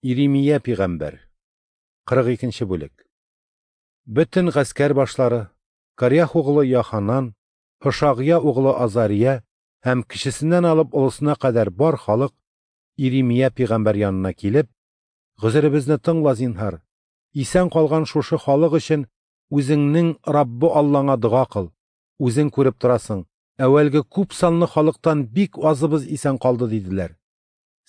Иремия пигамбәр. 42 нче бүлек. Бөтен гаскәр башлары, Карях углы Яханан, Һошагъя углы Азария һәм кечесеннән алып олысына кадәр бар халык Иремия пигамбәр янына килеп, Гозеребезне тыңла, зинһар. Исән калган шушы халык өчен үзеңнең Раббы Аллаңа дога кыл. Үзең күреп торасың, әүвәлге күп санлы халыктан бик азыбыз исән калды, диделәр.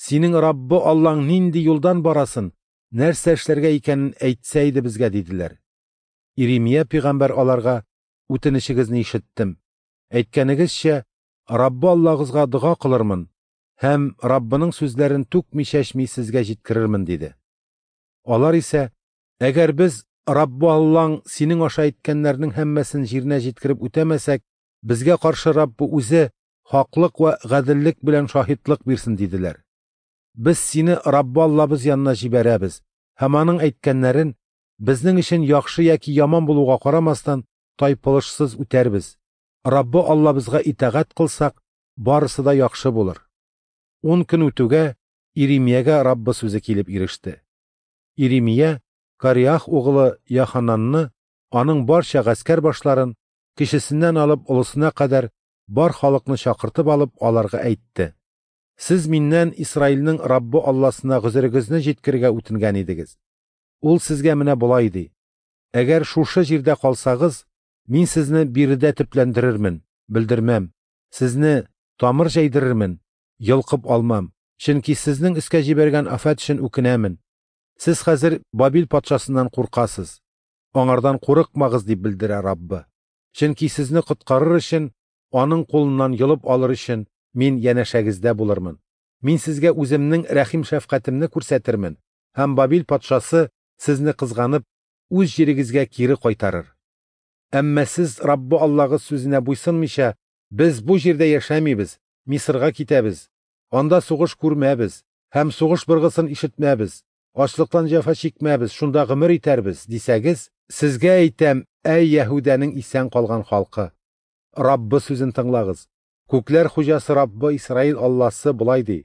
Синең Раббы Аллаң нинди юлдан барасын, нәрсә эшләргә икәнен әйтсә иде безгә, диделәр. Иремия пигамбәр аларга: Үтенечегезне ишеттем. Әйткәнегезчә, Раббы Аллагызга дога кылырмын һәм Раббының сүзләрен түкми-чәчми сезгә җиткерермен, диде. Алар исә: Әгәр без Раббы Аллаң синең аша әйткәннәрнең һәммәсен җиренә җиткереп үтәмәсәк, безгә каршы Раббы үзе хаклык вә гаделлек белән шаһитлык бирсен, диделәр. Без сине Раббы Аллабыз янына җибәрәбез һәм аның әйткәннәрен безнең өчен яхшы яки яман булуга карамастан тайпылышсыз үтәрбез. Раббы Аллабызга итагать кылсак, барысы да яхшы булыр. 10 көн үтүгә Иремиягә Раббы сүзе килеп иреште. Иремия Кариах углы Яхананны, аның барча гаскәр башларын, кечесеннән алып олысына кадәр бар халыкны чакыртып алып, аларга әйтте: Сез миннән Исраилнең Раббы Алласына гозерегезне җиткерергә үтенгән идегез. Ул сезгә менә болай ди: Әгәр шушы җирдә калсагыз, мин сезне биредә төпләндерермен, белдермәм, сезне тамыр җәйдерермен, йолкып алмам, чөнки сезнең өскә җибәргән афәт өчен үкенәмен. Сез хәзер Бабил патшасыннан куркасыз. Аңардан курыкмагыз, дип белдерә Раббы. Чөнки сезне коткарыр өчен, аның кулыннан йолып алыр өчен мин янәшәгездә булырмын. Мин сезгә үземнең рәхим шәфкатемне күрсәтермен, һәм Бабил патшасы сезне кызганып, үз җирегезгә кире кайтарыр. Әмма сез Раббы Аллагыз сүзенә буйсынмыйча, без бу җирдә яшәмибез, Мисырга китәбез, анда сугыш күрмәбез һәм сугыш быргысын ишетмәбез, ачлыктан җәфа чикмәбез, шунда гомер итәрбез, дисәгез, сезгә әйтәм, әй Яһүдәнең исән калган халкы, Раббы сүзен тыңлагыз. Күкләр хуҗасы Раббы Исраил Алласы болай ди: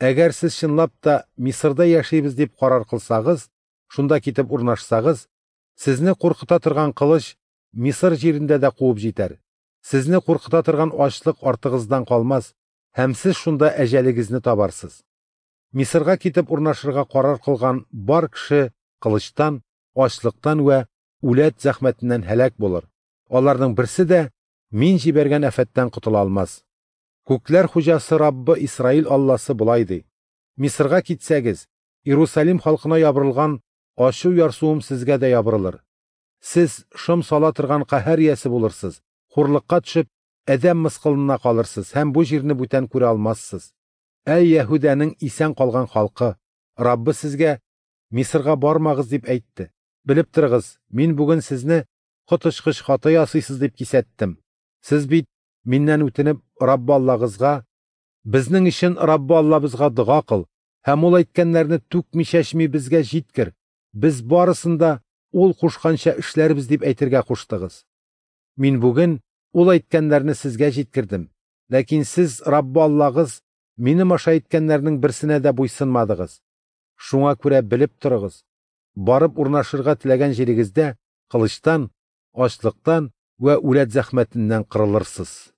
Әгәр сез чынлап та Мисырда яшибез дип карар кылсагыз, шунда китеп урнашсагыз, сезне куркыта торган кылыч Мисыр җирендә дә куып җитәр. Сезне куркыта торган ачлык артыгыздан калмас, һәм сез шунда әҗәлегезне табарсыз. Мисырга китеп урнашырга карар кылган бар кеше кылычтан, ачлыктан вә үләт зәхмәтеннән һәлак булыр. Аларның берсе дә мин җибәргән афәттән котыла алмас. Күкләр хуҗасы Раббы Исраил Алласы болай ди: Мисырга китсәгез, Иерусалим халкына ябырылган ачу ярсуым сезгә дә ябырылыр. Сез шом сала торган каһәр иясе булырсыз, хурлыкка төшеп, адәм мыскылына калырсыз һәм бу җирне бүтән күрә алмассыз. Әй Яһүдәнең исән калган халкы, Раббы сезгә Мисырга бармагыз дип әйтте. Белеп торыгыз, мин бүген сезне коточкыч хата ясыйсыз дип кисәттем. Сез бит миннән үтенеп Раббы Аллагызга, безнең өчен Раббы Аллабызга дога кыл һәм ул әйткәннәрне түкми-чәчми безгә җиткер. Без барысын да ул кушканча эшләрбез дип әйтергә куштыгыз. Мин бүген ул әйткәннәрне сезгә җиткердем. Ләкин сез Раббы Аллагыз минем аша әйткәннәрнең берсенә дә буйсынмадыгыз. Шуңа күрә белеп торыгыз: барып урнашырга теләгән җирегездә кылычтан, ачлыктан вә үләт зәхмәтеннән кырылырсыз.